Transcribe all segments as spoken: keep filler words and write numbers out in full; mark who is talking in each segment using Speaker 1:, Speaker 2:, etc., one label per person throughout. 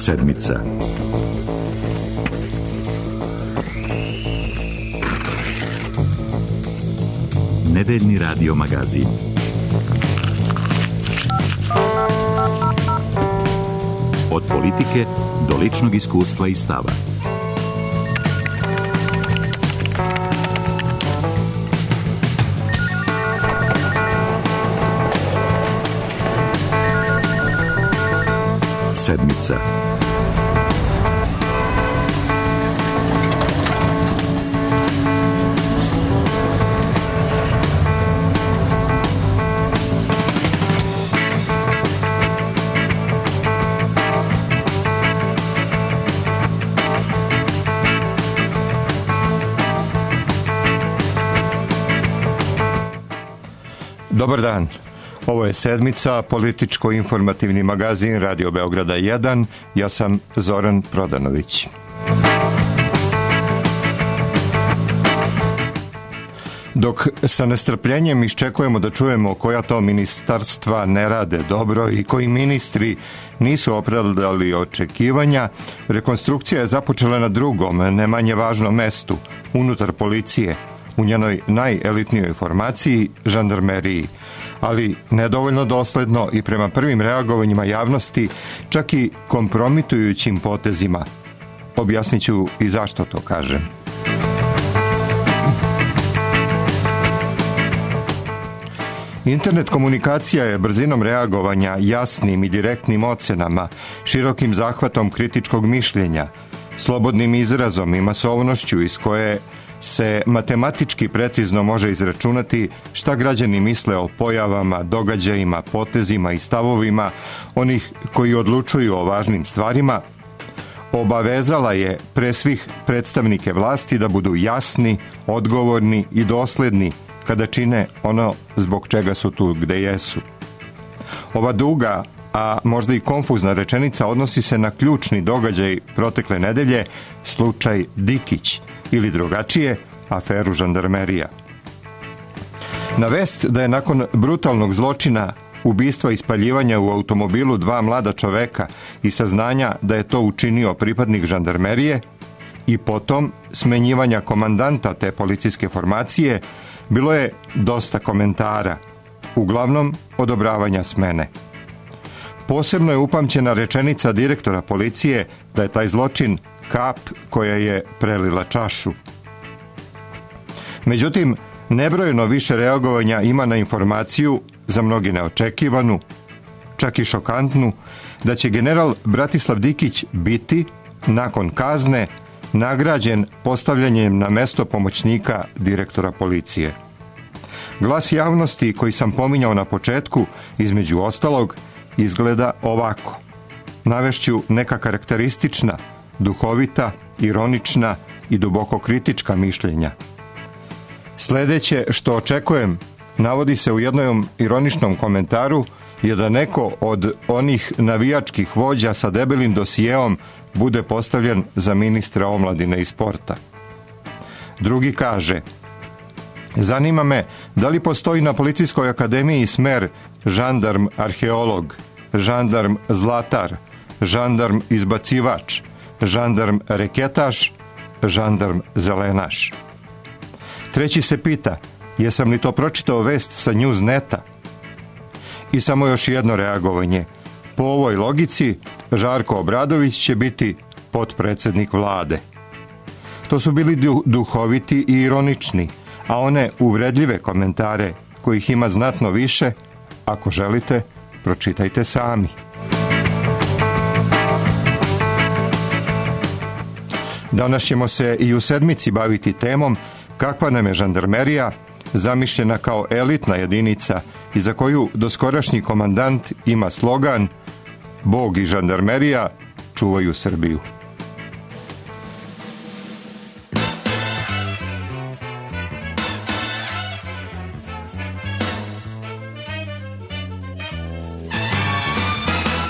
Speaker 1: Sedmica. Nedeljni radio magazin. Od politike do ličnog iskustva i stava. Sedmica.
Speaker 2: Dobar dan. Ovo je Sedmica, političko-informativni magazin Radio Beograda jedan. Ja sam Zoran Prodanović. Dok sa nestrpljenjem iščekujemo da čujemo koja to ministarstva ne rade dobro i koji ministri nisu opravdali očekivanja, rekonstrukcija je započela na drugom, ne manje važnom mestu, unutar policije, u njenoj najelitnijoj formaciji, žandarmeriji, ali nedovoljno dosledno i prema prvim reagovanjima javnosti, čak i kompromitujućim potezima. Objasnit ću i zašto to kažem. Internet komunikacija je brzinom reagovanja, jasnim i direktnim ocenama, širokim zahvatom kritičkog mišljenja, slobodnim izrazom i masovnošću iz koje se matematički precizno može izračunati šta građani misle o pojavama, događajima, potezima i stavovima onih koji odlučuju o važnim stvarima, obavezala je pre svih predstavnike vlasti da budu jasni, odgovorni i dosledni kada čine ono zbog čega su tu gde jesu. Ova duga, a možda i konfuzna rečenica odnosi se na ključni događaj protekle nedelje, slučaj Dikić, ili drugačije, aferu žandarmerija. Na vest da je nakon brutalnog zločina, ubistva i spaljivanja u automobilu dva mlada čoveka i saznanja da je to učinio pripadnik žandarmerije i potom smenjivanja komandanta te policijske formacije, bilo je dosta komentara, uglavnom odobravanja smene. Posebno je upamćena rečenica direktora policije da je taj zločin kap koja je prelila čašu. Međutim, nebrojeno više reagovanja ima na informaciju, za mnogi neočekivanu, čak i šokantnu, da će general Bratislav Dikić biti, nakon kazne, nagrađen postavljanjem na mesto pomoćnika direktora policije. Glas javnosti koji sam pominjao na početku, između ostalog, izgleda ovako. Navešću neka karakteristična, duhovita, ironična i duboko kritička mišljenja. Sledeće što očekujem, navodi se u jednom ironičnom komentaru, je da neko od onih navijačkih vođa sa debelim dosijeom bude postavljen za ministra omladine i sporta. Drugi kaže: zanima me da li postoji na Policijskoj akademiji smer žandarm arheolog, žandarm zlatar, žandarm izbacivač, žandarm reketaš, žandarm zelenaš. Treći se pita, jesam li to pročitao vest sa Newsneta? I samo još jedno reagovanje. Po ovoj logici, Žarko Obradović će biti potpredsednik vlade. To su bili du- duhoviti i ironični, a one uvredljive komentare, kojih ima znatno više, ako želite, pročitajte sami. Danas ćemo se i u Sedmici baviti temom kakva nam je žandarmerija, zamišljena kao elitna jedinica i za koju doskorašnji komandant ima slogan: Bog i žandarmerija čuvaju Srbiju.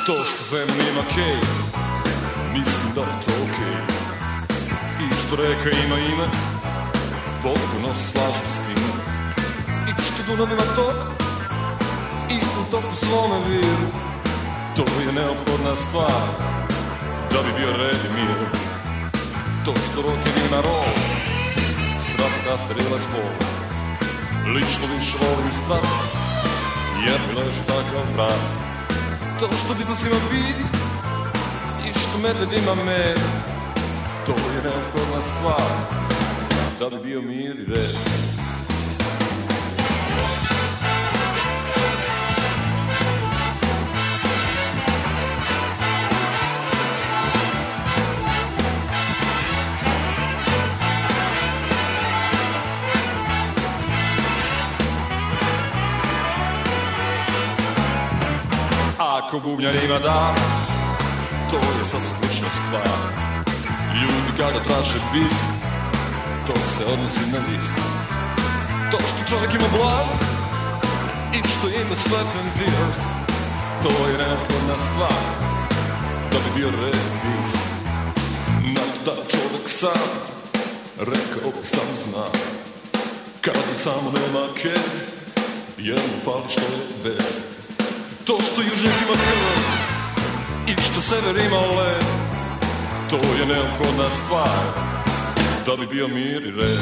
Speaker 3: To što zemlja ima kej, mislim da je to okej. I što reka ima ime, potpuno se slažem s tim. I što Dunav ima tok, i u toku svome viru, to je neophodna stvar. da bi bio red i mir. To što rock na roll, strah da starila spol. Lično više volim strah, jer mi leži takav vrat. To što bitno svima vidi i što medved ima med, to je neophodna stvar da bi bio mir i red. Ako bubnjarima da, to je sasvim slična stvar. Ljudi kada traže bis, to se odnosi na list. To što čovjek ima blav i što ima slepen dirt, to je neophodna stvar da bi bio red bis. Na to da čovjek sam, rekao bih sam zna, kada samo nema kez, jer mu fali što je bez. To što južnjak ima krv i što sever ima led, to je neophodna stvar da bi bio mir i red.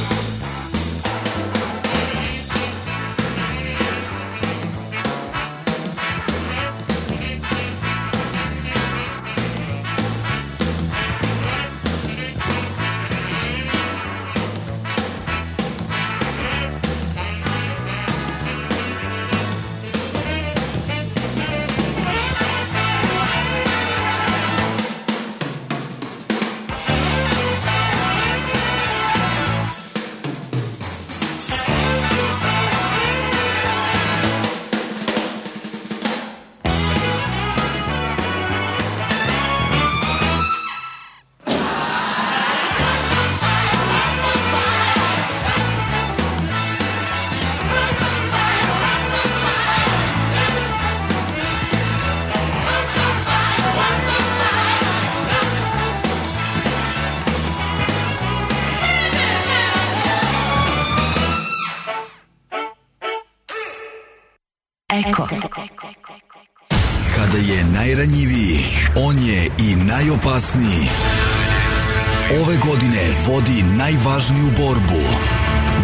Speaker 4: Eko. Kada je najranjiviji, on je i najopasniji. Ove godine vodi najvažniju borbu.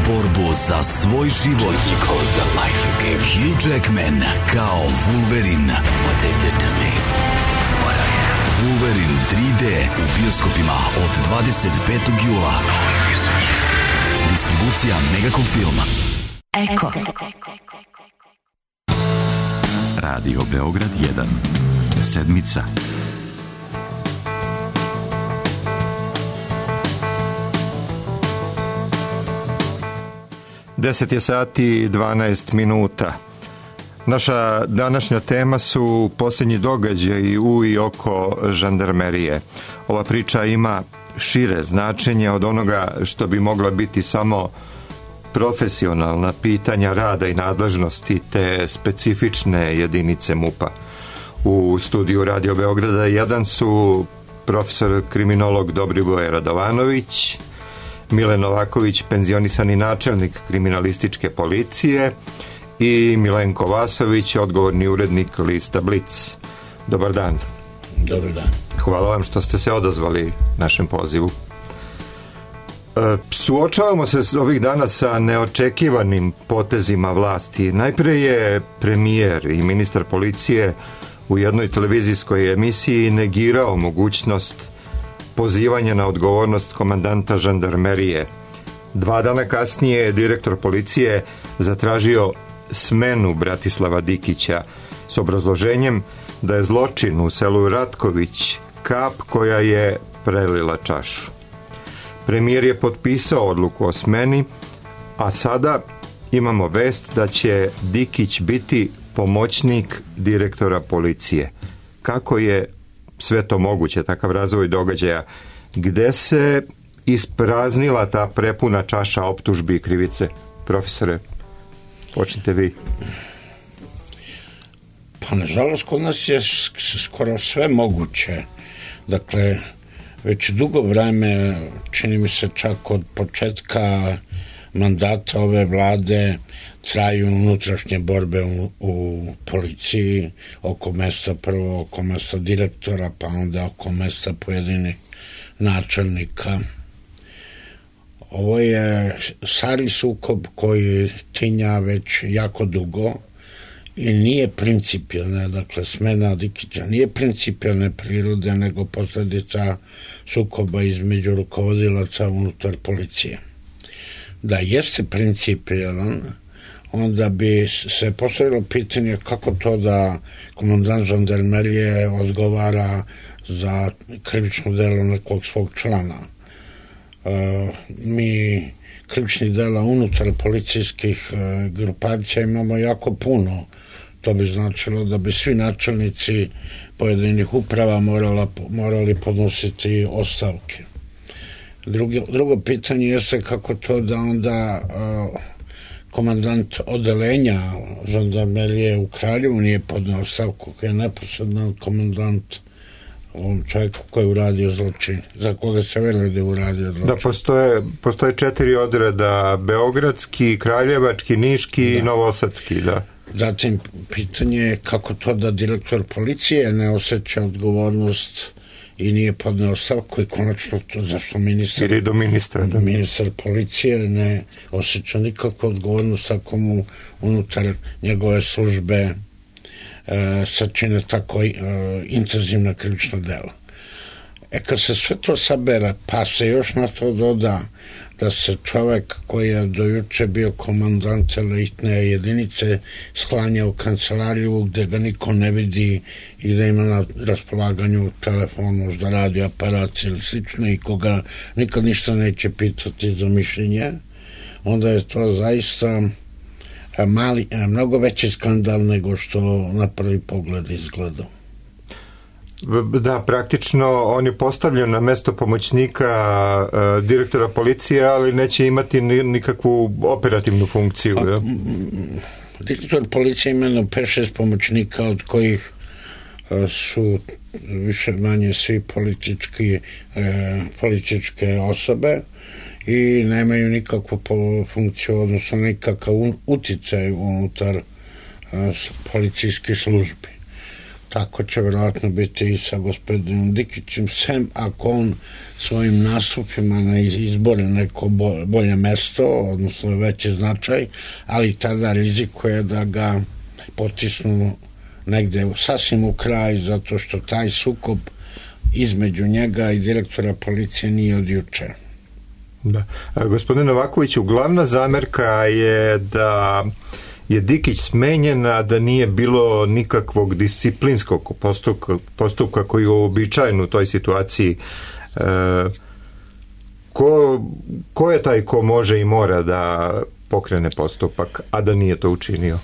Speaker 4: Borbu za svoj život. Hugh Jackman kao Wolverine. Wolverine tri D u bioskopima od dvadeset petog jula. Distribucija Megacom Film. Eko.
Speaker 1: Radio Beograd jedan. Sedmica.
Speaker 2: deset je sati i dvanaest minuta. Naša današnja tema su posljednji događaji u i oko žandarmerije. Ova priča ima šire značenje od onoga što bi mogla biti samo profesionalna pitanja rada i nadležnosti te specifične jedinice MUP-a. U studiju Radio Beograda jedan su profesor kriminolog Dobrivoje Radovanović, Mile Novaković, penzionisani načelnik kriminalističke policije, i Milenko Vasović, odgovorni urednik lista Blic. Dobar dan.
Speaker 5: Dobar dan.
Speaker 2: Hvala vam što ste se odazvali našem pozivu. Suočavamo se ovih dana sa neočekivanim potezima vlasti. Najpre je premijer i ministar policije u jednoj televizijskoj emisiji negirao mogućnost pozivanja na odgovornost komandanta žandarmerije. Dva dana kasnije je direktor policije zatražio smenu Bratislava Dikića s obrazloženjem da je zločin u selu Ratković kap koja je prelila čašu. Premijer je potpisao odluku o smeni, a sada imamo vest da će Dikić biti pomoćnik direktora policije. Kako je sve to moguće, takav razvoj događaja? Gde se ispraznila ta prepuna čaša optužbi i krivice? Profesore, počnite vi.
Speaker 5: Pa nažalost kod nas je skoro sve moguće. Dakle, već dugo vreme, čini mi se čak od početka mandata ove vlade traju unutrašnje borbe u, u policiji oko mesta, prvo oko mesta direktora, pa onda oko mesta pojedinih načelnika. Ovo je stari sukob koji tinja već jako dugo i nije principijalna, dakle smena Dikića nije principijalne prirode, nego posljedica sukoba između rukovodilaca unutar policije. Da jeste principijalan, onda bi se postavilo pitanje kako to da komandant žandarmerije odgovara za krivično delo nekog svog člana. E, mi krivičnih dela unutar policijskih e, grupacija imamo jako puno. To bi značilo da bi svi načelnici pojedinih uprava morala, morali podnositi ostavke. Drugi, drugo pitanje jeste kako to da onda uh, komandant odelenja žandarmerije u Kraljevu nije podneo ostavku, koji je neposredan komandant ovom čovjeku koji je uradio zločin, za koga se veli da je uradio zločin.
Speaker 2: Da, postoje, postoje četiri odreda, beogradski, kraljevački, niški i novosadski, da.
Speaker 5: Zatim, pitanje je kako to da direktor policije ne osjeća odgovornost i nije podneo ostavku i konačno to zašto ministar,
Speaker 2: ili do ministra, da.
Speaker 5: ministar policije ne osjeća nikakvu odgovornost ako mu unutar njegove službe e, sačine tako e, intenzivna krivična dela. E kad se sve to sabere, pa se još na to doda da se čovjek koji je dojuče bio komandant elitne jedinice sklanja u kancelariju gdje ga niko ne vidi i da ima na raspolaganju telefon, možda radio aparat ili slično i koga nikad ništa neće pitati za mišljenje, onda je to zaista mali, mnogo veći skandal nego što na prvi pogled izgleda.
Speaker 2: Da, praktično on je postavljen na mesto pomoćnika uh, direktora policije, ali neće imati nikakvu operativnu funkciju.
Speaker 5: A, direktor policije imeno pet šest pomoćnika, od kojih uh, su više manje svi politički, uh, političke osobe i nemaju nikakvu funkciju, odnosno nikakav uticaj unutar uh, policijskih službi. Tako će vjerojatno biti i sa gospodinom Dikićem, sem ako on svojim nastupima ne izbore neko bolje mesto, odnosno veći značaj, ali tada rizikuje da ga potisnu negde sasvim u kraj, zato što taj sukob između njega i direktora policije nije od juče.
Speaker 2: Da. Gospodin Novakoviću, glavna zamerka je da je Dikić smenjen, a da nije bilo nikakvog disciplinskog postupka, postupka koji je uobičajen u toj situaciji. E, ko, ko je taj ko može i mora da pokrene postupak, a da nije to učinio?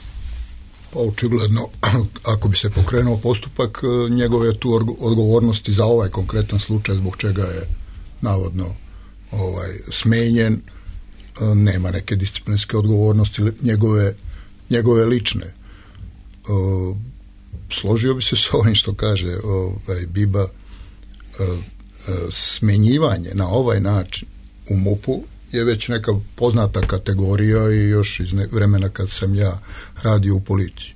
Speaker 6: Pa očigledno, ako bi se pokrenuo postupak, njegove je tu odgovornosti za ovaj konkretan slučaj zbog čega je navodno ovaj, smenjen, nema neke disciplinske odgovornosti njegove njegove lične. O, složio bi se s ovim što kaže ovaj, Biba, o, o, smenjivanje na ovaj način u MUP-u je već neka poznata kategorija i još iz ne, vremena kad sam ja radio u policiji.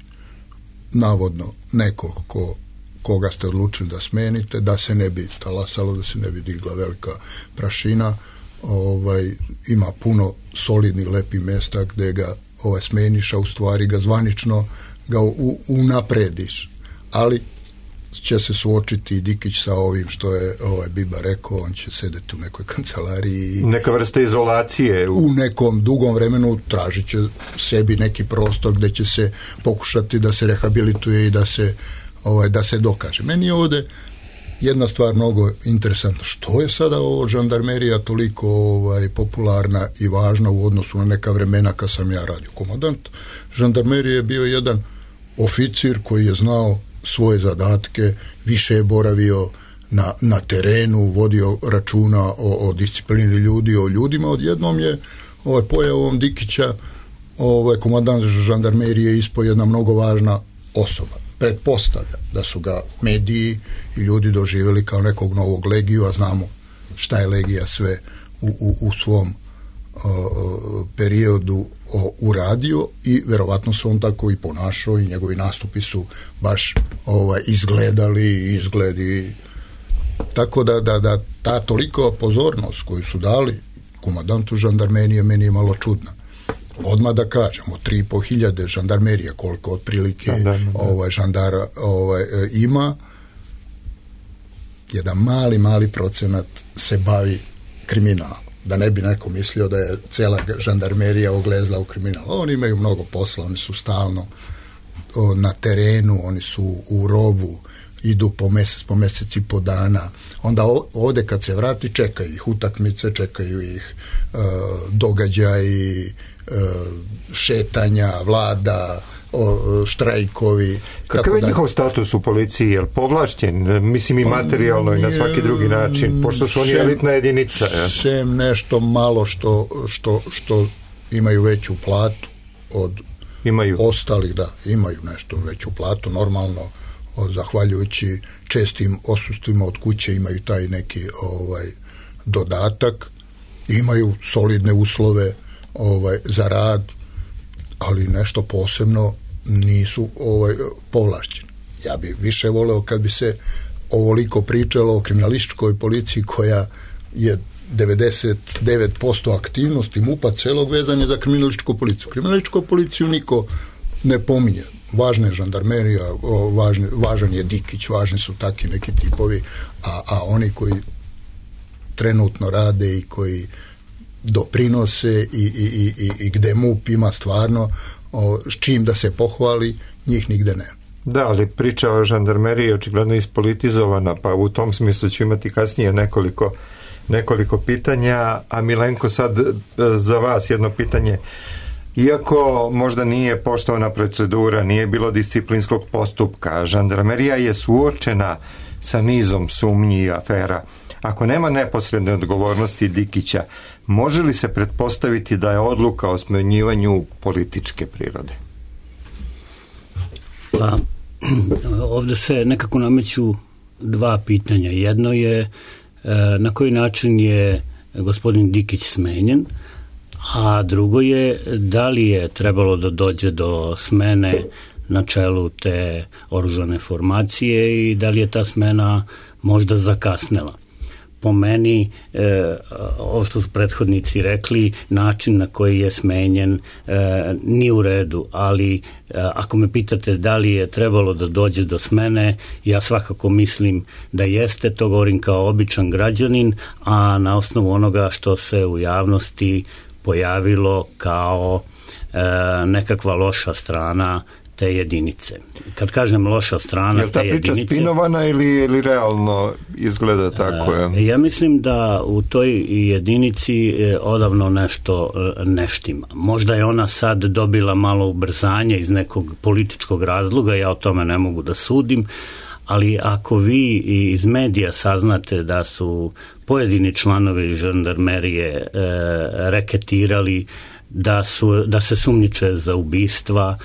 Speaker 6: Navodno neko ko, koga ste odlučili da smenite, da se ne bi talasalo, da se ne bi digla velika prašina, ovaj, ima puno solidnih lepih mjesta gdje ga ovaj smeniš, a u stvari ga zvanično ga u, unaprediš. Ali će se suočiti i Dikić sa ovim što je ovaj Biba rekao, on će sedeti u nekoj kancelariji.
Speaker 2: Neka vrsta izolacije.
Speaker 6: U, u nekom dugom vremenu tražit će sebi neki prostor gdje će se pokušati da se rehabilituje i da se, ovaj, da se dokaže. Meni je ovdje jedna stvar mnogo interesantna. Što je sada ovo žandarmerija toliko ovaj, popularna i važna u odnosu na neka vremena kad sam ja radio komandant? Žandarmerija je bio jedan oficir koji je znao svoje zadatke, više je boravio na, na terenu, vodio računa o, o disciplini ljudi, o ljudima. Odjednom je ovaj, pojavom Dikića ovaj, komandant žandarmerije ispao jedna mnogo važna osoba. Pretpostavlja da su ga mediji i ljudi doživjeli kao nekog novog Legiju, a znamo šta je Legija sve u, u, u svom periodu uradio i verovatno se on tako i ponašao i njegovi nastupi su baš ovaj, izgledali izgledi tako da, da, da ta toliko pozornost koju su dali komandantu žandarmerije meni je malo čudna. Odmah da kažemo, tri i po hiljade žandarmerija koliko otprilike da, da, da. Ovaj, žandara ovaj, ima, jedan mali, mali procenat se bavi kriminalom. Da ne bi neko mislio da je cela žandarmerija oglezla u kriminal. Oni imaju mnogo posla, oni su stalno o, na terenu, oni su u rovu, idu po mesec, po mesec i po dana. Onda ovde kad se vrati čekaju ih utakmice, čekaju ih e, događaji, e, šetanja, vlada, o, štrajkovi.
Speaker 2: Kakav je njihov status u policiji? Je li povlašćen? Mislim i materijalno i na svaki drugi način, pošto su oni sem, elitna jedinica. Ja.
Speaker 6: Sem nešto malo što, što, što imaju veću platu od imaju. Ostalih, da, imaju nešto veću platu, normalno, od, zahvaljujući čestim osustvima od kuće imaju taj neki ovaj, dodatak, imaju solidne uslove ovaj, za rad, ali nešto posebno nisu ovaj, povlašćeni. Ja bih više voleo kad bi se ovoliko pričalo o kriminalističkoj policiji koja je devedeset devet posto aktivnosti MUP-a celog vezanja za kriminalističku policiju. Kriminalističku policiju niko ne pominje. Važna je žandarmerija, važne, važan je Dikić, važni su takvi neki tipovi, a, a oni koji trenutno rade i koji doprinose i, i, i, i, i gde MUP ima stvarno o, s čim da se pohvali, njih nigde ne.
Speaker 2: Da, ali priča o žandarmeriji je očigledno ispolitizovana, pa u tom smislu ću imati kasnije nekoliko, nekoliko pitanja, a Milenko sad za vas jedno pitanje. Iako možda nije poštovana procedura, nije bilo disciplinskog postupka, žandarmerija je suočena sa nizom sumnji i afera. Ako nema neposredne odgovornosti Dikića, može li se pretpostaviti da je odluka o smenjivanju političke prirode?
Speaker 7: Pa, ovde se nekako nameću dva pitanja. Jedno je na koji način je gospodin Dikić smenjen, a drugo je da li je trebalo da dođe do smene na čelu te oružane formacije i da li je ta smena možda zakasnela. Po meni, e, ovo što su prethodnici rekli, način na koji je smenjen e, nije u redu, ali e, ako me pitate da li je trebalo da dođe do smene, ja svakako mislim da jeste, to govorim kao običan građanin, a na osnovu onoga što se u javnosti pojavilo kao e, nekakva loša strana te jedinice. Kad kažem loša strana te jedinice... Je li ta priča spinovana ili, ili realno izgleda tako? Je? Ja mislim da u toj jedinici odavno nešto ne štima. Možda je ona sad dobila malo ubrzanje iz nekog političkog razloga, ja o tome ne mogu da sudim, ali ako vi iz medija saznate da su pojedini članovi žandarmerije e, reketirali, da, su, da se sumnjiče za ubistva,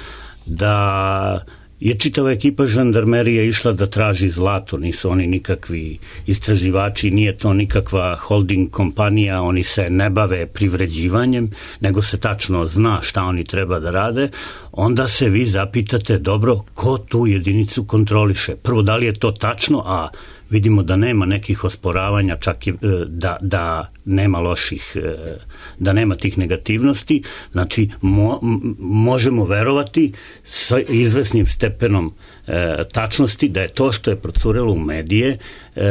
Speaker 7: da je čitava ekipa žandarmerije išla da traži zlato, nisu oni nikakvi istraživači, nije to nikakva holding kompanija, oni se ne bave privređivanjem, nego se tačno zna šta oni treba da rade, onda se vi zapitate, dobro, ko tu jedinicu kontroliše? Prvo, da li je to tačno, a vidimo da nema nekih osporavanja, čak i da, da nema loših, da nema tih negativnosti, znači mo, možemo verovati sa izvesnim stepenom e, tačnosti da je to što je procurelo u medije e,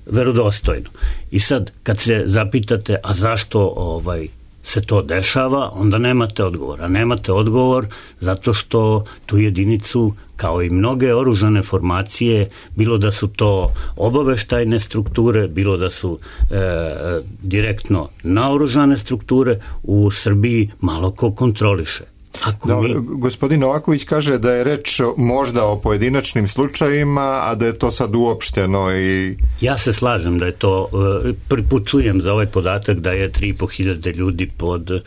Speaker 7: verodostojno. I sad, kad se zapitate, a zašto ovaj se to dešava, onda nemate odgovor. A nemate odgovor zato što tu jedinicu, kao i mnoge oružane formacije, bilo da su to obaveštajne strukture, bilo da su e, direktno naoružane strukture, u Srbiji malo ko kontroliše. Ako
Speaker 2: da,
Speaker 7: mi...
Speaker 2: Gospodin Novaković kaže da je reč možda o pojedinačnim slučajima, a da je to sad uopšteno i...
Speaker 7: Ja se slažem da je to, prvi put čujem za ovaj podatak da je tri i po hiljade ljudi pod e,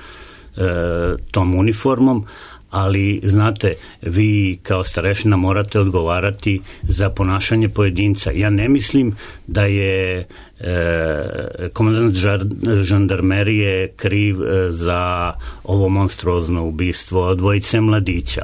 Speaker 7: tom uniformom, ali znate, vi kao starešina morate odgovarati za ponašanje pojedinca. Ja ne mislim da je e, komandant žandarmerije kriv e, za ovo monstruozno ubistvo dvojice mladića,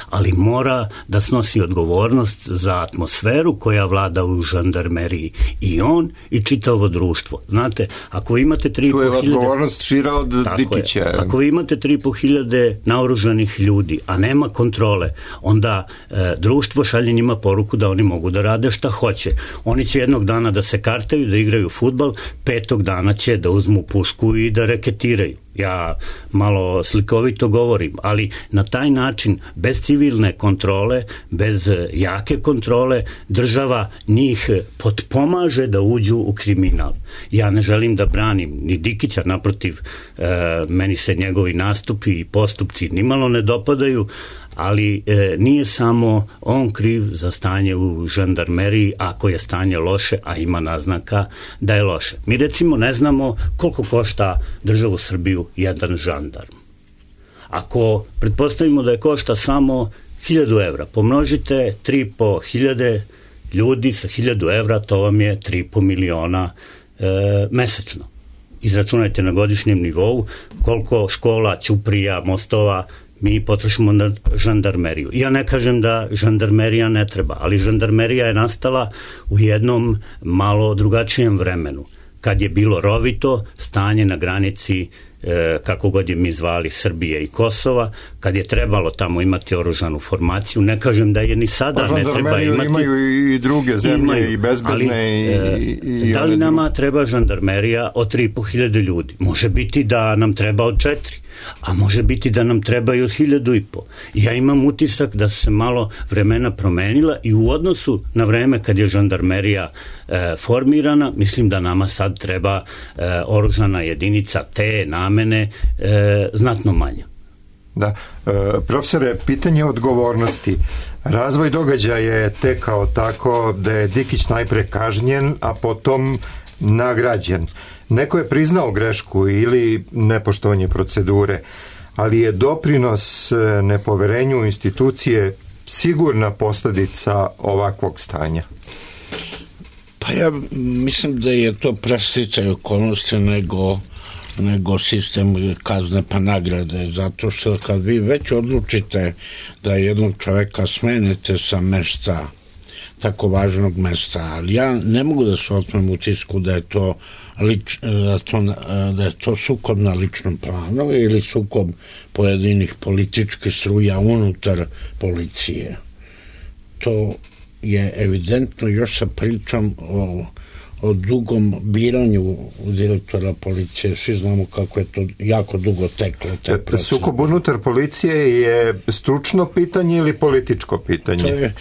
Speaker 7: ali mora da snosi odgovornost za atmosferu koja vlada u žandarmeriji, i on i čitavo društvo. Znate, ako imate tri i po hiljade... Tu je
Speaker 2: odgovornost šira od Dikića.
Speaker 7: Je, ako vi imate tri i po hiljade naoružanih ljudi, a nema kontrole, onda e, društvo šalje njima poruku da oni mogu da rade šta hoće. Oni će jednog dana da se kartaju, da igraju fudbal, petog dana će da uzmu pušku i da reketiraju. Ja malo slikovito govorim, ali na taj način, bez civilne kontrole, bez jake kontrole, država njih potpomaže da uđu u kriminal. Ja ne želim da branim ni Dikića, naprotiv, e, meni se njegovi nastupi i postupci nimalo ne dopadaju, ali e, nije samo on kriv za stanje u žandarmeriji ako je stanje loše, a ima naznaka da je loše. Mi recimo ne znamo koliko košta državu Srbiju jedan žandarm. Ako pretpostavimo da je košta samo hiljadu evra, pomnožite tri i po hiljade ljudi sa hiljadu evra, to vam je tri i po miliona e, mesečno. Izračunajte na godišnjem nivou koliko škola, ćuprija, mostova mi potrošimo na žandarmeriju. Ja ne kažem da žandarmerija ne treba, ali žandarmerija je nastala u jednom malo drugačijem vremenu, kad je bilo rovito stanje na granici, e, kako god je mi zvali, Srbije i Kosova, kad je trebalo tamo imati oružanu formaciju. Ne kažem da je ni sada
Speaker 2: pa,
Speaker 7: ne treba imati.
Speaker 2: Imaju i druge zemlje, imaju, i bezbedne. Ali,
Speaker 7: i,
Speaker 2: i,
Speaker 7: da li nama treba žandarmerija od tri i po hiljade ljudi? Može biti da nam treba od četiri, a može biti da nam trebaju od hiljadu i po. Ja imam utisak da su se malo vremena promenila i u odnosu na vreme kad je žandarmerija e, formirana, mislim da nama sad treba e, oružana jedinica te namene e, znatno manja.
Speaker 2: Da. E, profesore, pitanje odgovornosti. Razvoj događaja je tekao tako da je Dikić najpre kažnjen, a potom nagrađen. Neko je priznao grešku ili nepoštovanje procedure, ali je doprinos nepoverenju u institucije sigurna posljedica ovakvog stanja.
Speaker 5: Pa ja mislim da je to presticaj okolnosti nego, nego sistem kazne pa nagrade, zato što kad vi već odlučite da jednog čoveka smenite sa mesta, tako važnog mesta, ali ja ne mogu da se otmem utisku da je to Lič, da, to, da je to sukob na ličnom planu ili sukob pojedinih političkih struja unutar policije. To je evidentno još sa pričom o, o dugom biranju direktora policije. Svi znamo kako je to jako dugo teklo.
Speaker 2: Sukob unutar policije je stručno pitanje ili političko pitanje?
Speaker 5: To je,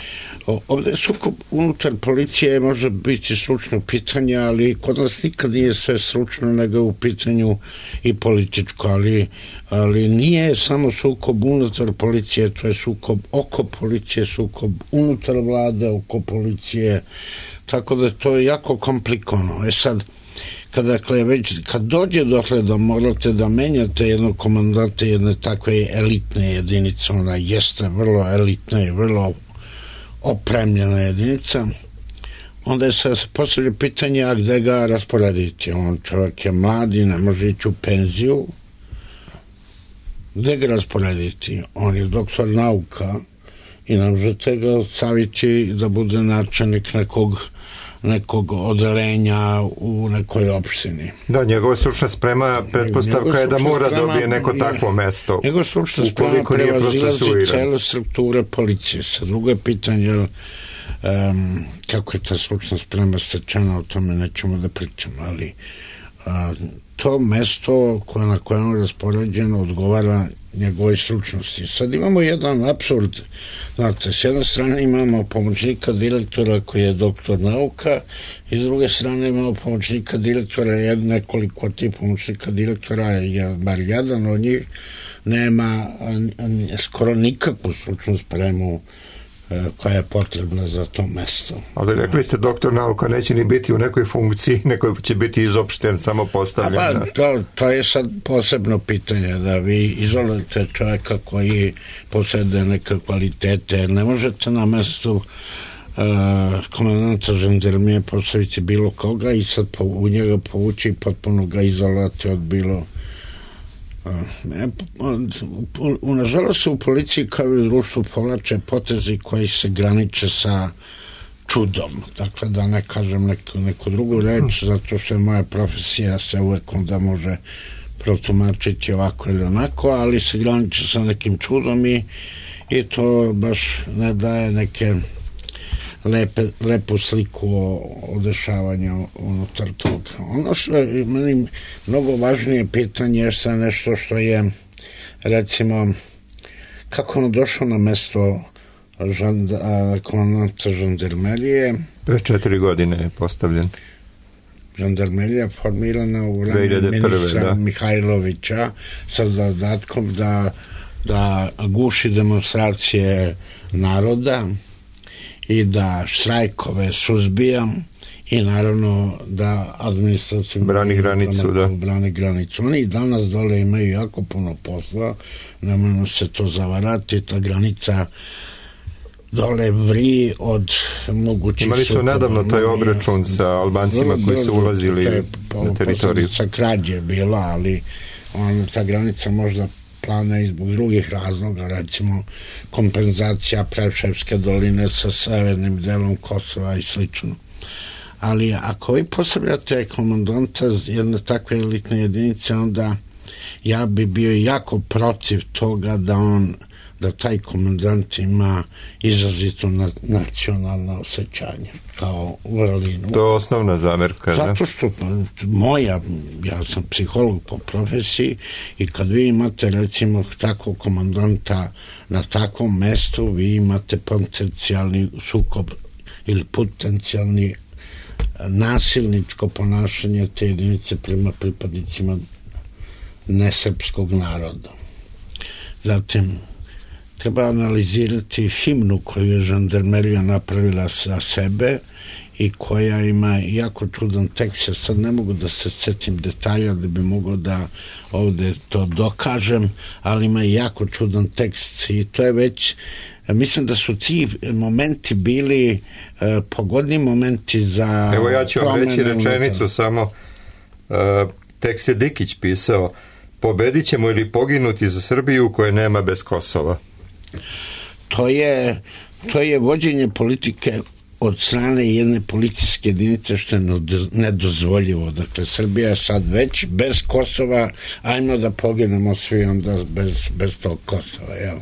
Speaker 5: ovdje sukob unutar policije može biti stručno pitanje, ali kod nas nikad nije sve stručno, nego u pitanju i političko, ali, ali nije samo sukob unutar policije, to je sukob oko policije, sukob unutar vlade, oko policije, tako da to je jako komplikovano. E sad, kada, dakle, već, kad dođe dotle da morate da menjate jednog komandanta jedne takve elitne jedinice, ona jeste vrlo elitna i vrlo opremljena jedinica, onda je se postavlja pitanje, a gde ga rasporediti? On čovjek je mladi, ne može ići u penziju. Gde ga rasporediti? On je doktor nauka i ne možete ga staviti da bude načelnik nekog nekog odelenja u nekoj opštini.
Speaker 2: Da, njegova stručna sprema pretpostavka je da mora dobije neko takvo mesto.
Speaker 5: Njegova stručna sprema prevazilazi cele strukture policije. Sa drugo je pitanje um, kako je ta stručna sprema stečena, o tome nećemo da pričamo, ali a, to mesto koje na kojem je raspoređeno odgovara njegovoj stručnosti. Sad imamo jedan apsurd, znate, s jedne strane imamo pomoćnika direktora koji je doktor nauka i s druge strane imamo pomoćnika direktora, jed, nekoliko tih pomoćnika direktora, je bar jedan od njih nema skoro nikakvu stručnu spremu koja je potrebna za to mesto.
Speaker 2: Ali rekli ste, doktor nauka neće ni biti u nekoj funkciji, neko će biti izopšten, samo postavljen.
Speaker 5: A pa, to, to je sad posebno pitanje, da vi izolujete čovjeka koji posede neke kvalitete. Ne možete na mestu komandanta žandarmerije postaviti bilo koga i sad po, u njega povući i potpuno ga izolovati od bilo u nažalost u policiji kao i u društvu povlače potezi koji se graniče sa čudom, dakle da ne kažem neku, neku drugu reč, zato što je moja profesija se uvek onda može protumačiti ovako ili onako, ali se graniče sa nekim čudom i, i to baš ne daje neke lepe, lepu sliku o, o dešavanju unutar toga. Ono što je meni mnogo važnije pitanje je sve nešto što je, recimo, kako on došao na mesto žanda, komandanta žandarmerije.
Speaker 2: Pre četiri godine je postavljen.
Speaker 5: Žandarmerija formirana u vreme ministra da. Mihajlovića sa zadatkom da, da guši demonstracije naroda i da štrajkove suzbijam i naravno da administracija
Speaker 2: brani granicu, da.
Speaker 5: brani granicu. Oni danas dole imaju jako puno posla, nemojmo se to zavarati, ta granica dole vri od mogućih...
Speaker 2: Imali su nedavno taj obračun sa Albancima koji su ulazili na teritoriju.
Speaker 5: Sa krađe bila, ali on, ta granica možda plana i zbog drugih razloga, recimo kompenzacija Preševske doline sa severnim delom Kosova i slično. Ali ako vi postavljate komandanta jedne takve elitne jedinice, onda ja bi bio jako protiv toga da on da taj komandant ima izrazito na, nacionalno osjećanje kao vrlinu.
Speaker 2: To je osnovna zamerka.
Speaker 5: Zato što moja, ja sam psiholog po profesiji i kad vi imate recimo takvog komandanta na takvom mestu, vi imate potencijalni sukob ili potencijalni nasilničko ponašanje te jedinice prema pripadnicima nesrpskog naroda. Zatim treba analizirati himnu koju je žandarmerija napravila za sebe i koja ima jako čudan tekst. Ja sad ne mogu da se setim detalja da bi mogao da ovde to dokažem, ali ima jako čudan tekst i to je već, mislim da su ti momenti bili uh, pogodni momenti za...
Speaker 2: Evo ja ću vam reći rečenicu unutar. Samo, uh, tekst je Dikić pisao: pobedit ćemo ili poginuti za Srbiju koje nema bez Kosova.
Speaker 5: To je, to je vođenje politike od strane jedne policijske jedinice što je nedozvoljivo. Dakle, Srbija je sad već bez Kosova, ajmo da poginemo svi onda bez, bez tog Kosova, jel?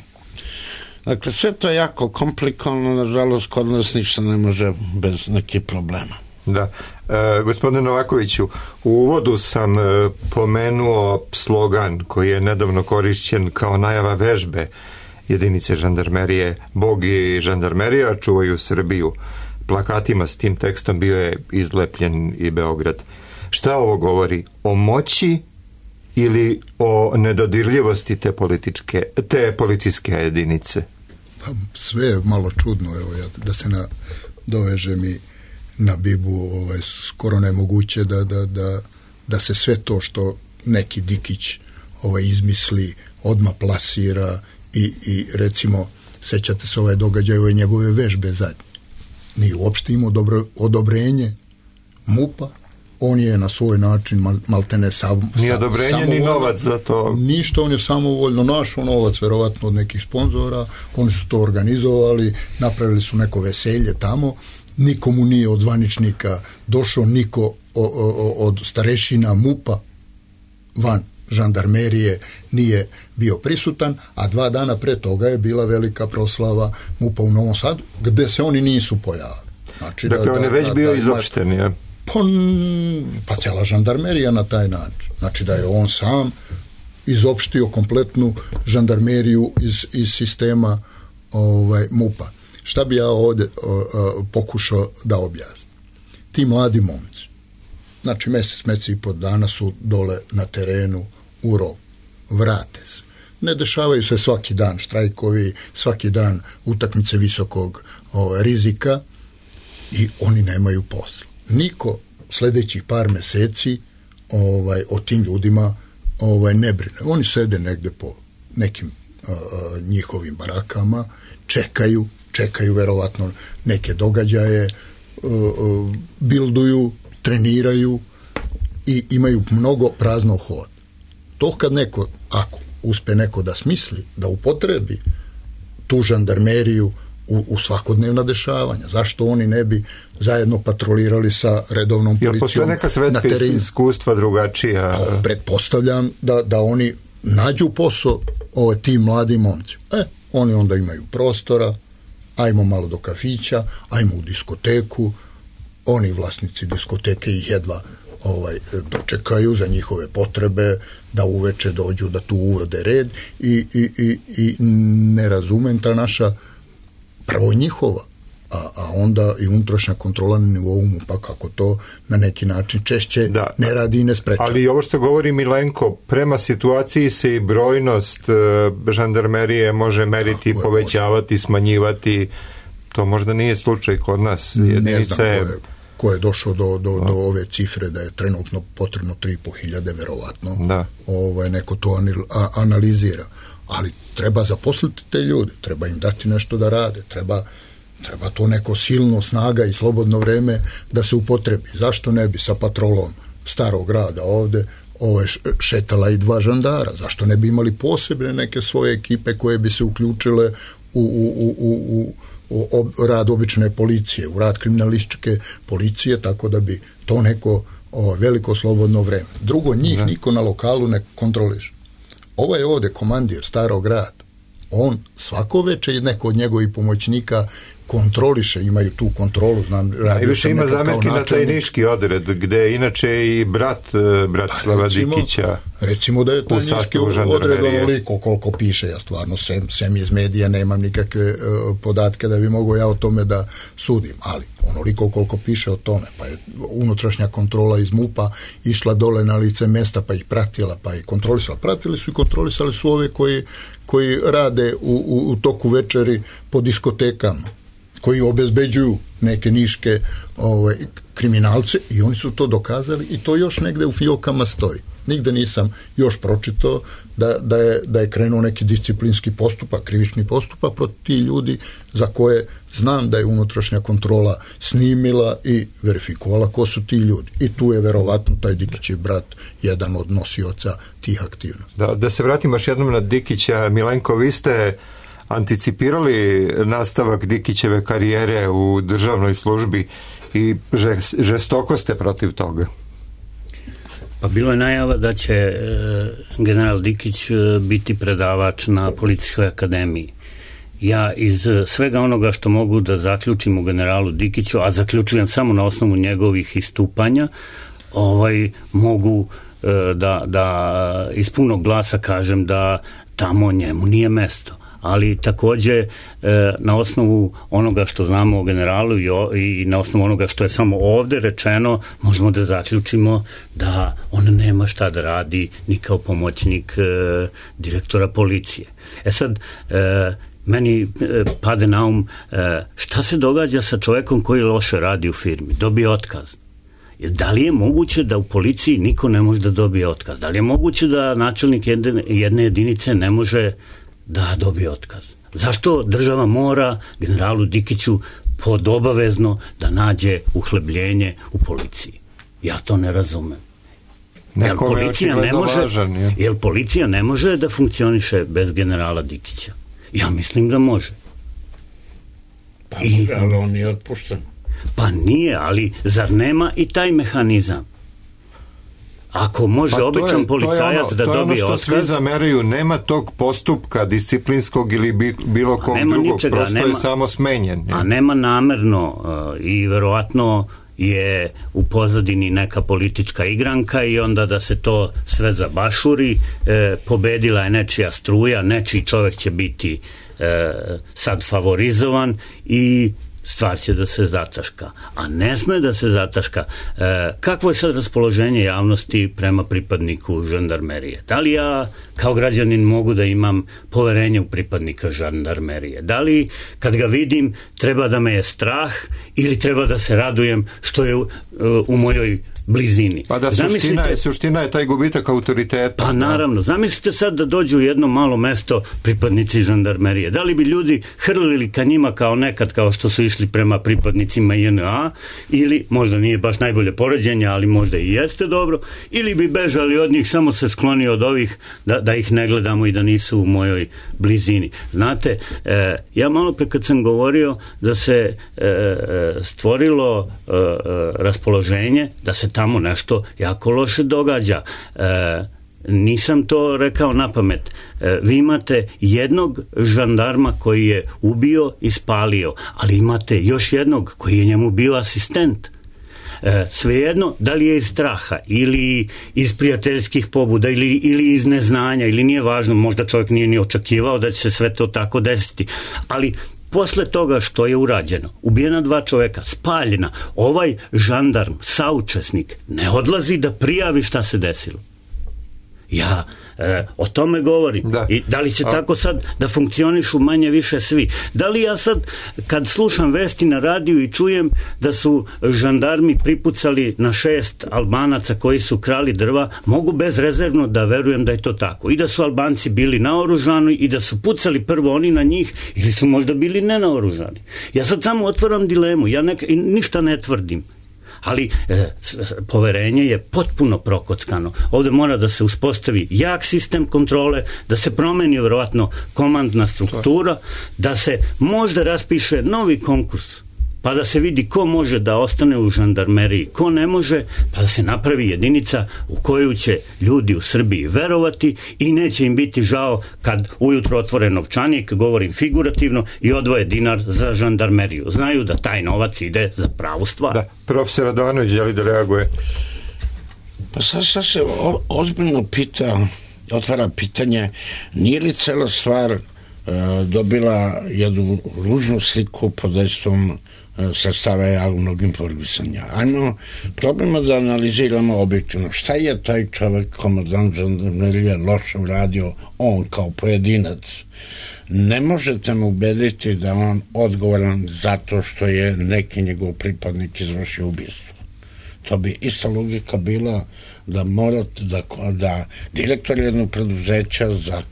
Speaker 5: Dakle, sve to je jako komplikovano, nažalost, kod nas ništa ne može bez nekih problema.
Speaker 2: Da. E, gospodine Novakoviću, u uvodu sam e, pomenuo slogan koji je nedavno korišćen kao najava vežbe jedinice žandarmerije: Bog i žandarmerija čuvaju Srbiju. Plakatima s tim tekstom bio je izlepljen i Beograd. Šta ovo govori? O moći ili o nedodirljivosti te političke, te policijske jedinice?
Speaker 6: Pa sve je malo čudno, evo ja, da se na, dovežem i na Bibu, ovaj, skoro nemoguće da, da, da, da se sve to što neki Dikić ovaj, izmisli, odmah plasira i, i recimo, sećate se ovaj događaj ove njegove vežbe zadnje. Nije uopšte imao dobro, odobrenje MUP-a, on je na svoj način mal, maltene sam,
Speaker 2: ni odobrenje ni novac za to.
Speaker 6: Ništa, on je samovoljno našao novac, verovatno od nekih sponzora, oni su to organizovali, napravili su neko veselje tamo, nikomu nije od zvaničnika došao niko o, o, od starešina MUP-a van žandarmerije nije bio prisutan, a dva dana pre toga je bila velika proslava MUP-a u Novom Sadu, gde se oni nisu pojavili. Znači,
Speaker 2: dakle,
Speaker 6: da,
Speaker 2: on je već
Speaker 6: da,
Speaker 2: bio
Speaker 6: da,
Speaker 2: izopšten, je?
Speaker 6: Pa, pa cijela žandarmerija na taj način. Znači da je on sam izopštio kompletnu žandarmeriju iz, iz sistema ovaj, MUP-a. Šta bi ja ovde o, o, pokušao da objasnim? Ti mladi momci, znači mesec, mesec i po dana su dole na terenu u rovu, vrate se. Ne dešavaju se svaki dan štrajkovi, svaki dan utakmice visokog o, rizika i oni nemaju posla. Niko sledećih par meseci ovaj, o tim ljudima ovaj, ne brine. Oni sede negde po nekim a, a, njihovim barakama, čekaju, čekaju verovatno neke događaje, bilduju, treniraju i imaju mnogo praznog hoda. To kad neko, ako uspe neko da smisli, da upotrebi tu žandarmeriju u, u svakodnevna dešavanja, zašto oni ne bi zajedno patrolirali sa redovnom policijom?
Speaker 2: Jel postoje neka svetska iskustva drugačija?
Speaker 6: Pa, pretpostavljam da, da oni nađu posao ove tim mladim momci. E, oni onda imaju prostora, ajmo malo do kafića, ajmo u diskoteku, oni vlasnici diskoteke ih jedva ovaj, dočekaju za njihove potrebe, da uveče dođu, da tu uvode red i, i, i, i ne razumem ta naša prvo njihova, a, a onda i unutrašnja kontrola na nivou MUP-a, kako to na neki način češće da, ne radi i ne sprečava.
Speaker 2: Ali ovo što govori Milenko, prema situaciji se i brojnost žandarmerije može meriti, je, povećavati, može. Smanjivati. To možda nije slučaj kod nas. Jedinice...
Speaker 6: Ne znam ko je, ko je došao do, do, do ove cifre da je trenutno potrebno tri i po hiljade, verovatno. Da. Ovaj, neko to analizira. Ali treba zaposliti te ljude, treba im dati nešto da rade, treba, treba to neko silno snaga i slobodno vreme da se upotrebi. Zašto ne bi sa patrolom starog grada ovde ove šetala i dva žandara? Zašto ne bi imali posebne neke svoje ekipe koje bi se uključile u, u, u, u, u, u rad obične policije, u rad kriminalističke policije, tako da bi to neko o, veliko slobodno vreme. Drugo, njih ne. Niko na lokalu ne kontroliše. Ovaj ovde komandir starog grada, on svako veče i neko od njegovih pomoćnika kontroliše, imaju tu kontrolu, znam, radio
Speaker 2: sam ima zamerki na taj niški odred, gde je inače i brat Bratislava Dikića.
Speaker 6: Recimo da je taj niški odred onoliko koliko piše, ja stvarno sem, sem iz medija nemam nikakve uh, podatke da bi mogao ja o tome da sudim, ali onoliko koliko piše o tome, pa je unutrašnja kontrola iz MUP-a išla dole na lice mesta, pa ih pratila, pa ih kontrolisala. Pratili su i kontrolisali su ove koji, koji rade u, u, u toku večeri po diskotekama, koji obezbeđuju neke niške ovaj, kriminalce i oni su to dokazali i to još negde u fijokama stoji. Nigde nisam još pročitao da, da, je, da je krenuo neki disciplinski postupak, krivični postupak protiv tih ljudi za koje znam da je unutrašnja kontrola snimila i verifikovala ko su ti ljudi. I tu je verovatno taj Dikićev brat jedan od nosioca tih aktivnosti.
Speaker 2: Da, da se vratim još jednom na Dikića. Milenko, vi ste anticipirali nastavak Dikićeve karijere u državnoj službi i žestoko ste protiv toga.
Speaker 7: Pa bilo je najava da će e, general Dikić e, biti predavač na Policijskoj akademiji. Ja iz svega onoga što mogu da zaključim u generalu Dikiću, a zaključujem samo na osnovu njegovih istupanja, ovaj, mogu e, da, da iz punog glasa kažem da tamo njemu nije mesto. Ali takođe e, na osnovu onoga što znamo o generalu i, o, i na osnovu onoga što je samo ovde rečeno, možemo da zaključimo da on nema šta da radi ni kao pomoćnik e, direktora policije. E sad, e, meni e, pade na um e, šta se događa sa čovekom koji loše radi u firmi, dobije otkaz. Da li je moguće da u policiji niko ne može da dobije otkaz? Da li je moguće da načelnik jedne, jedne jedinice ne može da dobije otkaz? Zašto država mora generalu Dikiću podobavezno da nađe uhlebljenje u policiji? Ja to ne razumem. Jel policija ne može, važan, je. Jel policija ne može da funkcioniše bez generala Dikića? Ja mislim da može.
Speaker 5: Pa I, ali on nije otpušten.
Speaker 7: Pa nije, ali zar nema i taj mehanizam? Ako može pa običan je, policajac ono, da dobije otkaz... To je ono što
Speaker 2: otkaz, svi zameraju, nema tog postupka disciplinskog ili bilo kog drugog, ničega, prosto nema, je samo smenjen. Je.
Speaker 7: A nema namerno uh, i verovatno je u pozadini neka politička igranka i onda da se to sve zabašuri, e, pobedila je nečija struja, nečiji čovjek će biti e, sad favorizovan i stvar će da se zataška. A ne sme da se zataška. E, kakvo je sad raspoloženje javnosti prema pripadniku žandarmerije? Da li ja kao građanin mogu da imam poverenje u pripadnika žandarmerije? Da li kad ga vidim treba da me je strah ili treba da se radujem što je u, u mojoj blizini.
Speaker 2: Pa da, suština,
Speaker 7: Zamislite,
Speaker 2: je, suština je taj gubitak autoriteta.
Speaker 7: Pa naravno, zamislite sad da dođu u jedno malo mesto pripadnici žandarmerije. Da li bi ljudi hrlili ka njima kao nekad, kao što su išli prema pripadnicima J N A, ili možda nije baš najbolje poređenje, ali možda i jeste dobro, ili bi bežali od njih, samo se skloni od ovih da, da ih ne gledamo i da nisu u mojoj blizini. Znate, e, ja malo pre kad sam govorio da se e, stvorilo e, raspoloženje da se tamo nešto jako loše događa. E, nisam to rekao na pamet. E, vi imate jednog žandarma koji je ubio i spalio, ali imate još jednog koji je njemu bio asistent. E, svejedno, da li je iz straha ili iz prijateljskih pobuda ili, ili iz neznanja, ili nije važno, možda čovjek nije ni očekivao da će se sve to tako desiti, ali posle toga što je urađeno, ubijena dva čoveka, spaljena, ovaj žandarm, saučesnik, ne odlazi da prijavi šta se desilo. Ja e, o tome govorim. Da. I da li će A... tako sad da funkcionišu manje više svi? Da li ja sad kad slušam vesti na radiju i čujem da su žandarmi pripucali na šest Albanaca koji su krali drva, mogu bezrezervno da verujem da je to tako. I da su Albanci bili naoružani i da su pucali prvo oni na njih, ili su možda bili nenaoružani. Ja sad samo otvaram dilemu, ja nek, ništa ne tvrdim. Ali e, poverenje je potpuno prokockano. Ovde mora da se uspostavi jak sistem kontrole, da se promeni vjerovatno komandna struktura, da se možda raspiše novi konkurs, pa da se vidi ko može da ostane u žandarmeriji, ko ne može, pa da se napravi jedinica u koju će ljudi u Srbiji verovati i neće im biti žao kad ujutro otvore novčanik, govorim figurativno, i odvoje dinar za žandarmeriju. Znaju da taj novac ide za pravu stvar.
Speaker 2: Da, profesor Radovanović želi da reaguje.
Speaker 5: Pa sad, sad se o, ozbiljno pita, otvara pitanje, nije li cela stvar e, dobila jednu ružnu sliku pod dejstvom sredstava javnog informisanja. Ajmo, probamo da analiziramo objektivno. Šta je taj čovjek, komandant žandarmerije, loše uradio, on kao pojedinac? Ne možete mu ubediti da on odgovoran zato što je neki njegov pripadnik izvršio ubistvo. To bi ista logika bila da morate da, da direktor jednog preduzeća za,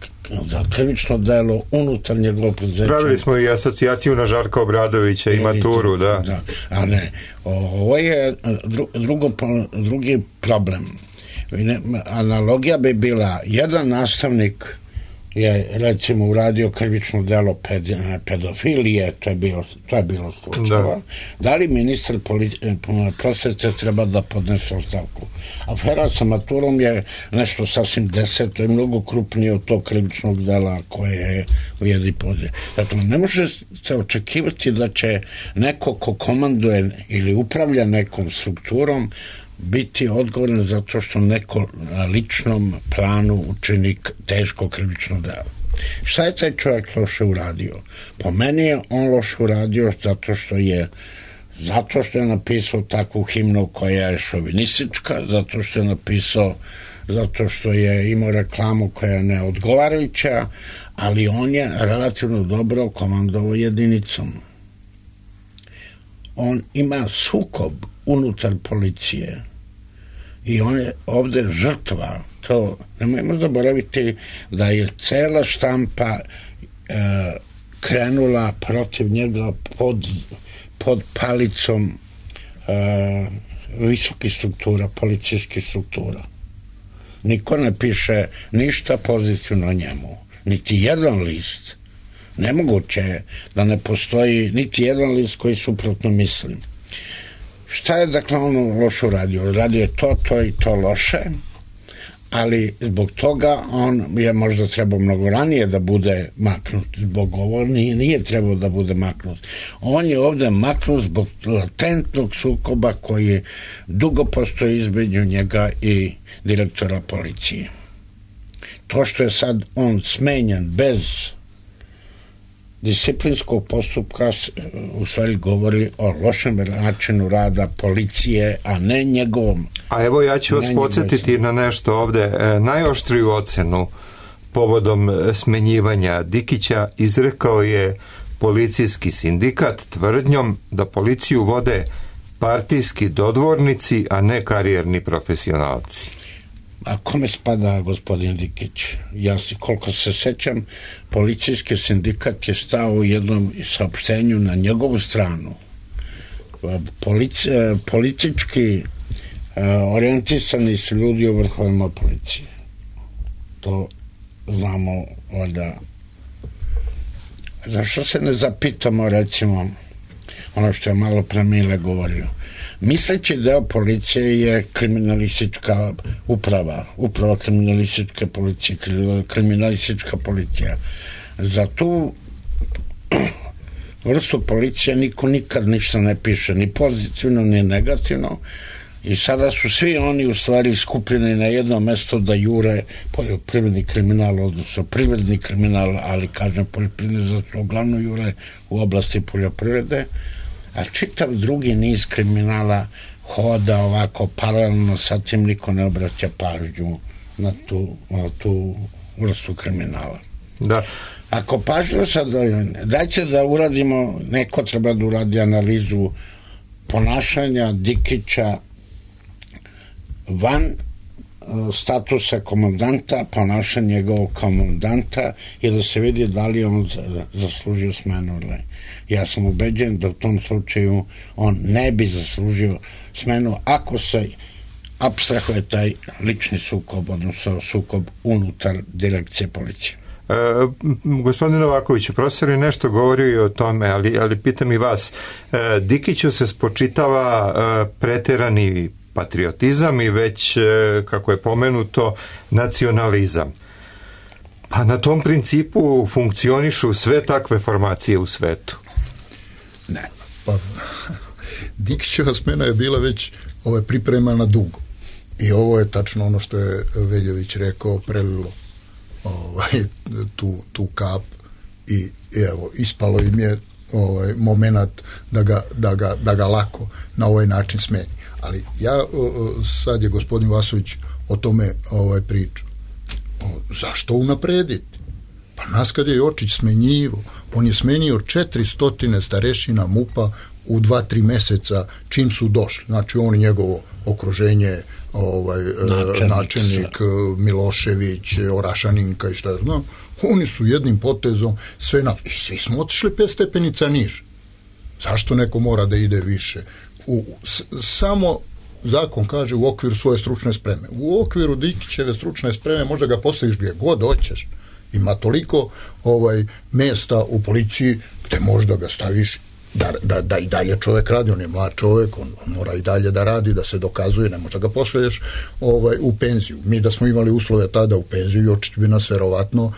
Speaker 5: za krivično delo unutar njegovog preduzeća.
Speaker 2: Pravili smo i asocijaciju na Žarka Obradovića i maturu, da.
Speaker 5: da. A ne, ovo je drugo, drugi problem. Analogija bi bila, jedan nastavnik je recimo uradio krivično delo pedofilije, to je bilo, to je bilo slučajeva. Da. da li ministar prosvete treba da podnese ostavku? Afera sa maturom je nešto sasvim deseto i mnogo krupnije od tog krivičnog dela koje je ujedi podje. Dakle, ne može se očekivati da će neko ko komanduje ili upravlja nekom strukturom biti odgovoran zato što neko na ličnom planu učini teško krivično delo. Šta je taj čovjek loše uradio? Po meni je on loše uradio zato što je zato što je napisao takvu himnu koja je šovinistička, zato što je napisao zato što je imao reklamu koja je neodgovarajuća, ali on je relativno dobro komandovao jedinicom. On ima sukob unutar policije i on je ovde žrtva. To nemojmo zaboraviti da je cela štampa e, krenula protiv njega pod, pod palicom e, visokih struktura, policijskih struktura. Niko ne piše ništa pozitivno o njemu. Niti jedan list. Nemoguće je da ne postoji niti jedan list koji suprotno mislim. Šta je dakle on loše uradio? Radio je to, to i to loše, ali zbog toga on je možda trebao mnogo ranije da bude maknut. Zbog ovo nije, nije trebao da bude maknut. On je ovde maknut zbog latentnog sukoba koji dugo postoji između njega i direktora policije. To što je sad on smenjen bez disciplinskog postupka u stvari govori o lošem načinu rada policije, a ne njegovom.
Speaker 2: A evo ja ću vas podsjetiti na nešto ovde. E, najoštriju ocenu povodom smenjivanja Dikića izrekao je policijski sindikat tvrdnjom da policiju vode partijski dodvornici, a ne karijerni profesionalci.
Speaker 5: A kome spada gospodin Dikić? Ja si, koliko se sećam, policijski sindikat je stao u jednom saopštenju na njegovu stranu. Polici, politički orijentisani su ljudi u vrhovima policije. To znamo valjda. Zašto se ne zapitamo, recimo, ono što je malo pre Mile govorio, misleći deo policije je kriminalistička uprava, uprava kriminalističke policije, kriminalistička policija. Za tu vrstu policije niko nikad ništa ne piše, ni pozitivno, ni negativno, i sada su svi oni u stvari skupljeni na jedno mesto da jure poljoprivredni kriminal, odnosno privredni kriminal, ali kažem poljoprivredni zato uglavnom jure u oblasti poljoprivrede, a čitav drugi niz kriminala hoda ovako paralelno, sa tim niko ne obraća pažnju na tu, na tu vrstu kriminala.
Speaker 2: Da.
Speaker 5: Ako pažljivo sad, dajte da uradimo, neko treba da uradi analizu ponašanja Dikića van statusa komandanta, ponašanja njegovog komandanta, i da se vidi da li on zaslužio smenu ili ne. Ja sam ubeđen da u tom slučaju on ne bi zaslužio smenu ako se apstrahuje taj lični sukob, odnosno sukob unutar direkcije policije.
Speaker 2: E, gospodin Novaković, profesor je nešto govorio o tome, ali, ali pitam i vas. E, Dikiću se spočitava e, preterani patriotizam i već, e, kako je pomenuto, nacionalizam. Pa na tom principu funkcionišu sve takve formacije u svetu.
Speaker 6: Ne. Pa, Dikićeva smena je bila već ovaj, pripremana dugo. I ovo je tačno ono što je Veljović rekao, prelilo ovaj, tu, tu kap i, i evo, ispalo im je ovaj, moment da ga, da, ga, da ga lako na ovaj način smeni. Ali ja, sad je gospodin Vasović o tome ovaj, pričao. Zašto unaprediti? Pa nas kad je Jočić smenjivo, on je smenio četiristo starešina MUP-a u dva, tri meseca čim su došli. Znači on i njegovo okruženje, ovaj, načelnik, načelnik Milošević, Orašaninka i šta ja znam, oni su jednim potezom sve na... I svi smo otišli pet stepenica niže. Zašto neko mora da ide više? U, s, samo zakon kaže u okviru svoje stručne spreme. U okviru Dikićeve stručne spreme možda ga postaviš gdje god hoćeš. Ima toliko ovaj, mjesta u policiji gdje možda ga staviš da, da, da i dalje čovjek radi, on je mlad čovjek, on, on mora i dalje da radi, da se dokazuje, ne možda ga pošalješ ovaj, u penziju. Mi da smo imali uslove tada u penziju, Jočić bi nas verovatno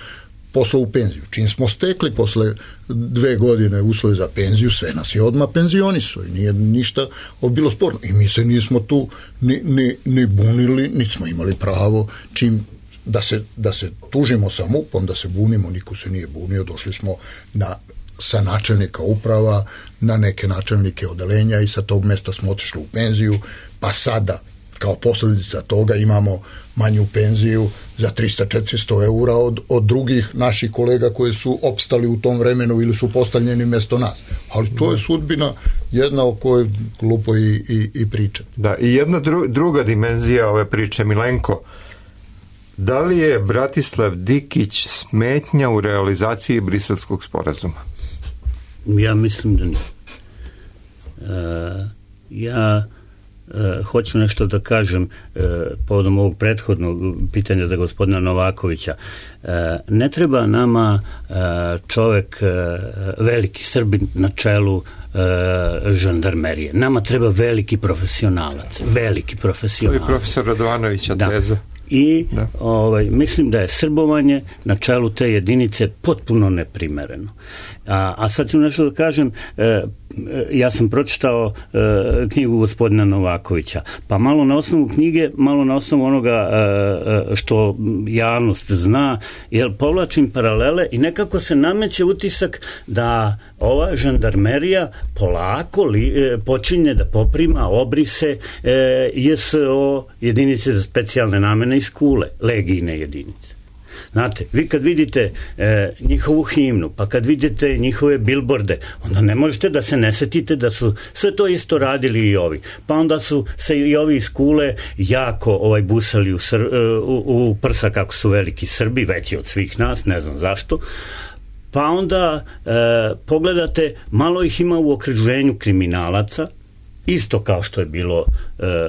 Speaker 6: poslao u penziju. Čim smo stekli posle dve godine uslove za penziju, sve nas je odmah penzionisao i nije ništa bilo sporno. I mi se nismo tu ni, ni, ni bunili, niti smo imali pravo čim da se, da se tužimo sa MUP-om, da se bunimo, niko se nije bunio, došli smo na, sa načelnika uprava na neke načelnike odelenja i sa tog mesta smo otišli u penziju, pa sada kao posljedica toga imamo manju penziju za tristo do četiristo eura od, od drugih naših kolega koji su opstali u tom vremenu ili su postavljeni mjesto nas. Ali to je sudbina jedna o kojoj glupo i, i, i pričati.
Speaker 2: Da, i jedna dru, druga dimenzija ove priče, Milenko, da li je Bratislav Dikić smetnja u realizaciji Briselskog sporazuma?
Speaker 7: Ja mislim da nije. E, ja e, hoću nešto da kažem e, povodom ovog prethodnog pitanja za gospodina Novakovića. E, ne treba nama e, čovek e, veliki Srbin na čelu e, žandarmerije. Nama treba veliki profesionalac. Veliki profesionalac.
Speaker 2: To je profesor Radovanovića teza.
Speaker 7: Da. I ovaj, mislim da je srbovanje na čelu te jedinice potpuno neprimereno. A, a sad ću nešto da kažem, e, ja sam pročitao e, knjigu gospodina Novakovića, pa malo na osnovu knjige, malo na osnovu onoga e, što javnost zna, jer povlačim paralele i nekako se nameće utisak da ova žandarmerija polako li, e, počinje da poprima obrise e, J S O jedinice za specijalne namene iz Kule, legijne jedinice. Znate, vi kad vidite e, njihovu himnu, pa kad vidite njihove bilborde, onda ne možete da se ne setite da su sve to isto radili i ovi. Pa onda su se i ovi iz Kule jako ovaj, busali u, sr, u, u prsa kako su veliki Srbi, veći od svih nas, ne znam zašto. Pa onda e, pogledate, malo ih ima u okruženju kriminalaca, isto kao što je bilo e, e,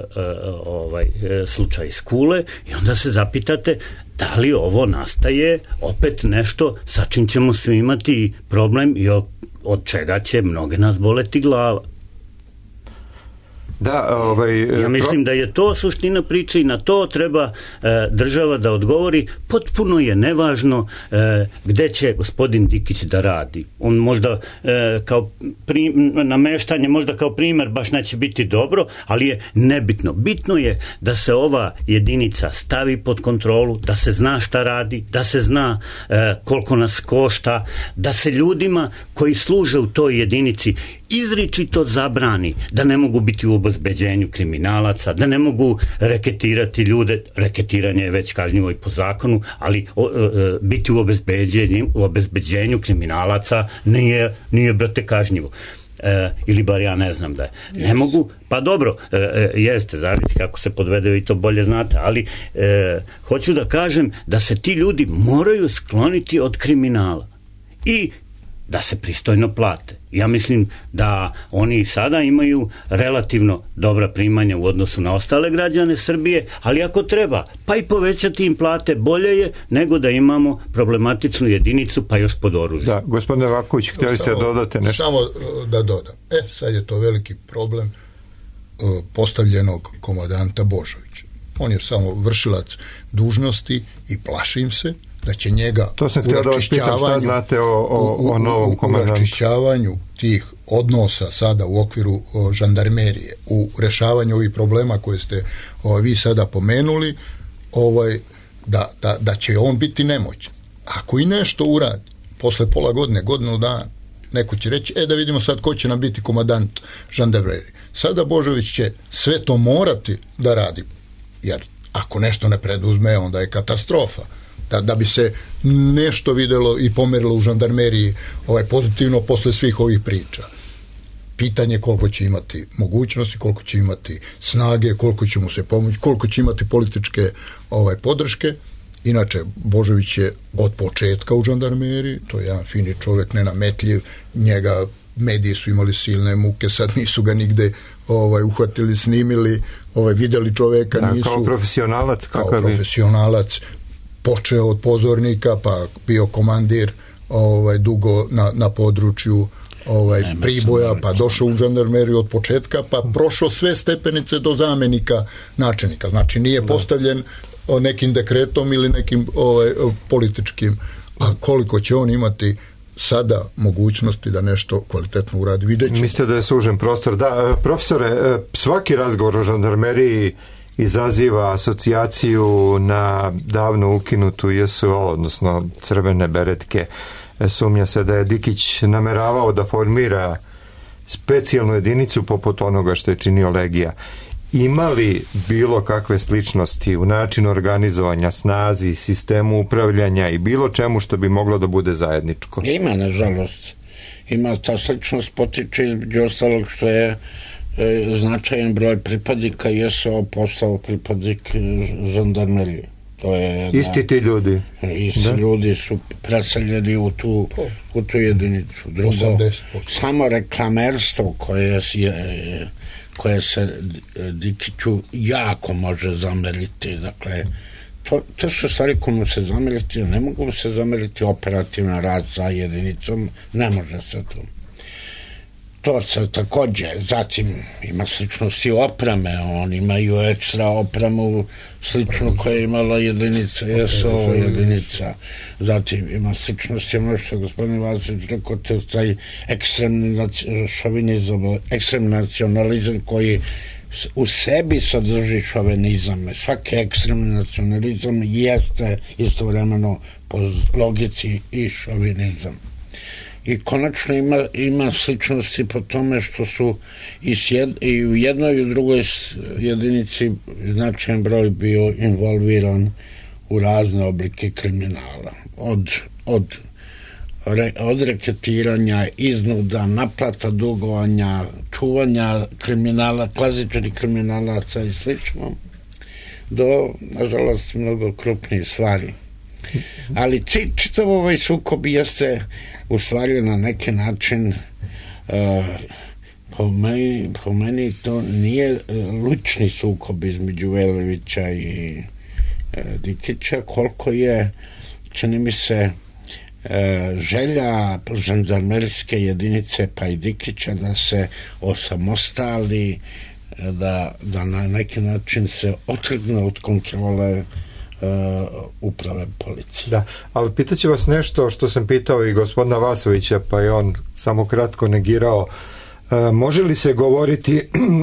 Speaker 7: ovaj e, slučaj iz Kule, i onda se zapitate da li ovo nastaje opet nešto sa čim ćemo svi imati problem i od čega će mnoge nas boleti glava.
Speaker 2: Da, ovaj,
Speaker 7: ja mislim da je to suština priče i na to treba e, država da odgovori. Potpuno je nevažno e, gde će gospodin Dikić da radi. On možda e, kao prim, nameštanje, možda kao primer baš neće biti dobro, ali je nebitno. Bitno je da se ova jedinica stavi pod kontrolu, da se zna šta radi, da se zna e, koliko nas košta, da se ljudima koji služe u toj jedinici izričito zabrani da ne mogu biti u obezbeđenju kriminalaca, da ne mogu reketirati ljude, reketiranje je već kažnjivo i po zakonu, ali o, o, biti u obezbeđenju, u obezbeđenju kriminalaca nije, nije brate kažnjivo. E, ili bar ja ne znam da je. Ne mogu, pa dobro, e, e, jeste, zavisi kako se podvede, vi to bolje znate, ali e, hoću da kažem da se ti ljudi moraju skloniti od kriminala i da se pristojno plate. Ja mislim da oni sada imaju relativno dobra primanja u odnosu na ostale građane Srbije, ali ako treba, pa i povećati im plate, bolje je nego da imamo problematičnu jedinicu, pa još pod oružjem.
Speaker 2: Da, gospodine Vaković, htjeli ste da dodate nešto?
Speaker 6: Samo da dodam. E, sad je to veliki problem uh, postavljenog komandanta Božovića. On je samo vršilac dužnosti i plašim se da će njega
Speaker 2: to sam htio da vas pitam šta znate o, o, o novom komandantu.
Speaker 6: U raščišćavanju tih odnosa sada u okviru o, žandarmerije, u rešavanju ovih problema koje ste o, vi sada pomenuli, ovaj, da, da, da će on biti nemoćan. Ako i nešto uradi, posle pola godine, godinu dana, neko će reći, e da vidimo sad ko će nam biti komandant žandarmerije. Sada Božović će sve to morati da radi, jer ako nešto ne preduzme, onda je katastrofa. Da, da bi se nešto videlo i pomerilo u žandarmeriji ovaj, pozitivno posle svih ovih priča. Pitanje koliko će imati mogućnosti, koliko će imati snage, koliko će mu se pomoći, koliko će imati političke ovaj, podrške. Inače, Božović je od početka u žandarmeriji, to je jedan fini čovjek, nenametljiv, njega mediji su imali silne muke, sad nisu ga nigde ovaj, uhvatili, snimili, ovaj, vidjeli čovjeka,
Speaker 2: da,
Speaker 6: nisu...
Speaker 2: Kao profesionalac,
Speaker 6: kao profesionalac, počeo od pozornika, pa bio komandir ovaj, dugo na, na području ovaj, Priboja, pa došao u žandarmeriju od početka, pa prošao sve stepenice do zamenika načelnika. Znači nije postavljen nekim dekretom ili nekim ovaj, političkim. A koliko će on imati sada mogućnosti da nešto kvalitetno uradi, vidjet ćemo.
Speaker 2: Mislite da je sužen prostor? Da, profesore, svaki razgovor o žandarmeriji izaziva asocijaciju na davno ukinutu J S O, odnosno crvene beretke. Sumnja se da je Dikić nameravao da formira specijalnu jedinicu poput onoga što je činio Legija. Ima li bilo kakve sličnosti u načinu organizovanja, snazi, sistemu upravljanja i bilo čemu što bi moglo da bude zajedničko?
Speaker 5: Ima, nažalost. Ima, ta sličnost potiče između ostalog što je značajan broj pripadnika J S O postao pripadnik žandarmerije. To je
Speaker 2: isti ti ljudi.
Speaker 5: Isti da? Ljudi su preseljeni u tu, u tu jedinicu. Drugo, samo reklamerstvo koje je, koje se Dikiću jako može zameriti. Dakle, to, to su stvari koje mu se zameriti, ne mogu se zameriti operativna rad za jedinicom, ne može se to. To se takođe, zatim ima sličnosti opreme, oni imaju ekstra opremu slično koja je imala jedinica J S O jedinica, zatim ima sličnosti ono što je gospodin Vasić rekao, to taj ekstremni šovinizam, ekstremni nacionalizam koji u sebi sadrži šovinizam. Svaki ekstremni nacionalizam jeste istovremeno po logici i šovinizam. I konačno ima, ima sličnosti po tome što su i, sjed, i u jednoj i u drugoj jedinici značajan broj bio involviran u razne oblike kriminala. Od, od, re, od reketiranja, iznuda, naplata dugovanja, čuvanja kriminala, klasičnih kriminalaca i slično, do, nažalost, mnogo krupnijih stvari. Ali čitav ovaj sukob jeste u stvari na neki način uh, po, meni, po meni to nije uh, lučni sukob između Veljovića i uh, Dikića, koliko je, čini mi se, uh, želja žandarmerske jedinice pa i Dikića da se osamostali, da, da na neki način se otrgne od kontrole Uh, uprave policije.
Speaker 2: Da, ali pitaću vas nešto što sam pitao i gospodina Vasovića, pa je on samo kratko negirao. Uh, može li se govoriti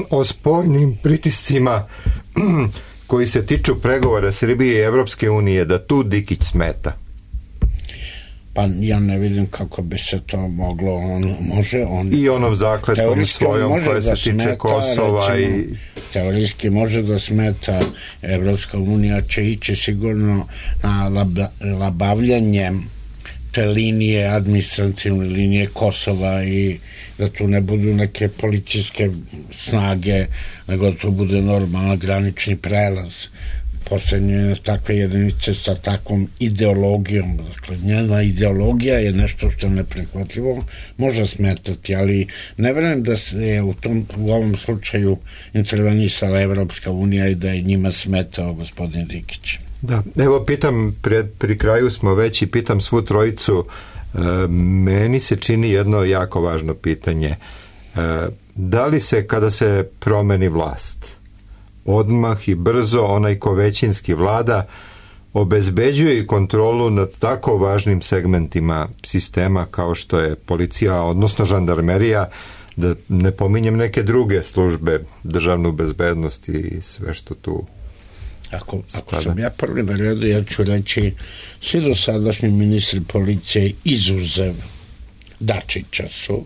Speaker 2: o spornim pritiscima koji se tiču pregovora Srbije i Evropske unije, da tu Dikić smeta?
Speaker 5: Pa ja ne vidim kako bi se to moglo, on može on
Speaker 2: i onom zakletvom svojom koja se tiče smeta, Kosova, recimo, i
Speaker 5: teorijski može da smeta. Evropska unija će ići sigurno na labavljanje te linije, administrativne linije Kosova, i da tu ne budu neke policijske snage, nego da to bude normalan granični prelaz. Poslednje takve jedinice sa takvom ideologijom, dakle njena ideologija je nešto što je neprihvatljivo, može smetati, ali ne verujem da se u, tom, u ovom slučaju intervenisala Evropska unija i da je njima smetao gospodin Dikić.
Speaker 2: Da, evo pitam, pred, pri kraju smo već, i pitam svu trojicu, e, meni se čini jedno jako važno pitanje. E, da li se kada se promeni vlast odmah i brzo onaj ko većinski vlada obezbeđuje i kontrolu nad tako važnim segmentima sistema kao što je policija, odnosno žandarmerija, da ne pominjem neke druge službe, državnu bezbednost i sve što tu
Speaker 5: Ako, ako sam ja prvi na redu, ja ću reći, svi dosadašnji ministri policije izuzev Dačića su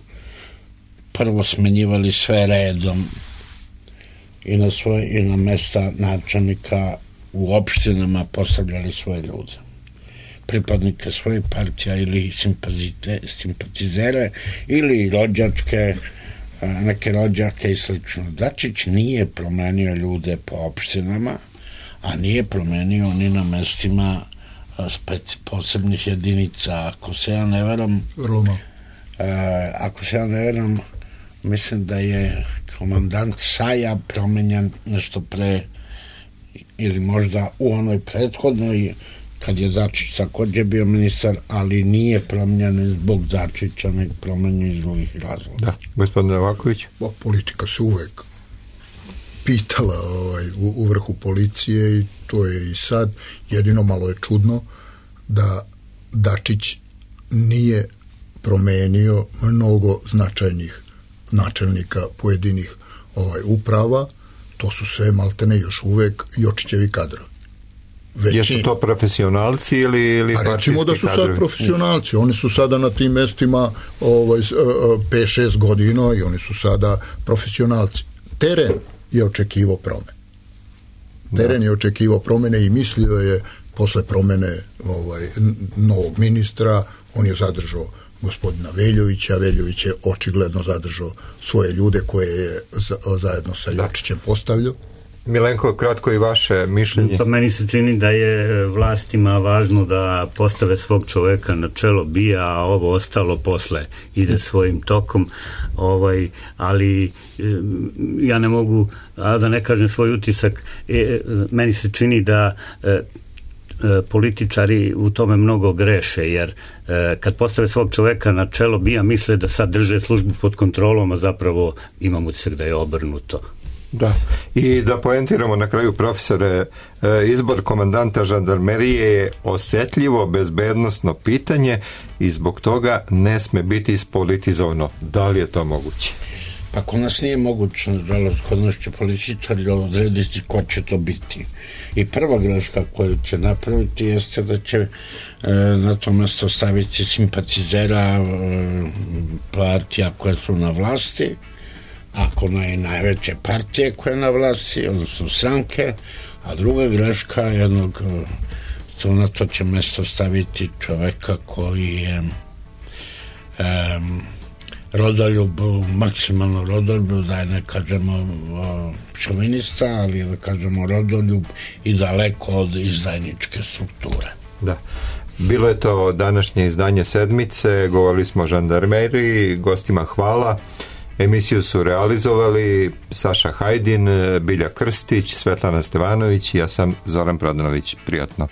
Speaker 5: prvo smenjivali sve redom i na svoje i na mesta načelnika u opštinama postavljali svoje ljude, pripadnike svojih partija ili simpatizere ili rođačke, neke rođake i slično. Dačić nije promenio ljude po opštinama, a nije promenio ni na mestima speci, posebnih jedinica. Ako se ja ne veram,
Speaker 6: Roma.
Speaker 5: Eh, ako se ja ne veram, mislim da je komandant Saja promenjen nešto pre, ili možda u onoj prethodnoj, kad je Dačić takođe bio ministar, ali nije promenjen zbog Dačića, nek promenjen iz drugih razloga.
Speaker 2: Da, gospodin Novaković.
Speaker 6: Bo, politika se uvek pitala ovaj, u, u vrhu policije, i to je i sad. Jedino malo je čudno da Dačić nije promenio mnogo značajnih načelnika pojedinih ovaj, uprava. To su sve maltene još uvek Jočićevi kadrovi.
Speaker 2: Jesu to profesionalci ili, ili
Speaker 6: partijski kadrovi? Recimo da su
Speaker 2: kadrovi?
Speaker 6: sad profesionalci. Oni su sada na tim mestima ovaj, pet šest godina i oni su sada profesionalci. Teren je očekivao promene. Teren da. je očekivao promene i mislio je posle promene ovaj, novog ministra, on je zadržao gospodina Veljovića, Veljović je očigledno zadržao svoje ljude koje je za, zajedno sa Jočićem postavljao.
Speaker 2: Milenko, kratko i vaše mišljenje.
Speaker 7: Pa meni se čini da je vlastima važno da postave svog čoveka na čelo bija, a ovo ostalo posle ide svojim tokom. Ovaj, ali ja ne mogu, a da ne kažem svoj utisak, e, meni se čini da e, političari u tome mnogo greše, jer e, kad postave svog čoveka na čelo bija, misle da sad drže službu pod kontrolom, a zapravo imam utisak da je obrnuto.
Speaker 2: Da, i da poentiramo na kraju, profesore, izbor komandanta žandarmerije je osetljivo bezbednosno pitanje i zbog toga ne sme biti ispolitizovano. Da li je to moguće?
Speaker 5: Pa kod nas nije moguće, nažalost, kod nas će političari odrediti ko će to biti. I prva greška koju će napraviti jeste da će e, na to mesto staviti simpatizera e, partija koje su na vlasti, ako ne najveće partije koje je na vlasti, odnosno stranke, a druga greška jednog mesto, na to će mesto staviti čoveka koji je um, rodoljub, maksimalno rodoljub, da je ne kažemo šovinista, ali da kažemo rodoljub i daleko od izdajničke strukture.
Speaker 2: Da. Bilo je to današnje izdanje Sedmice, govorili smo o žandarmeriji, gostima hvala. Emisiju su realizovali Saša Hajdin, Bilja Krstić, Svetlana Stevanović i ja sam Zoran Prodanović. Prijatno.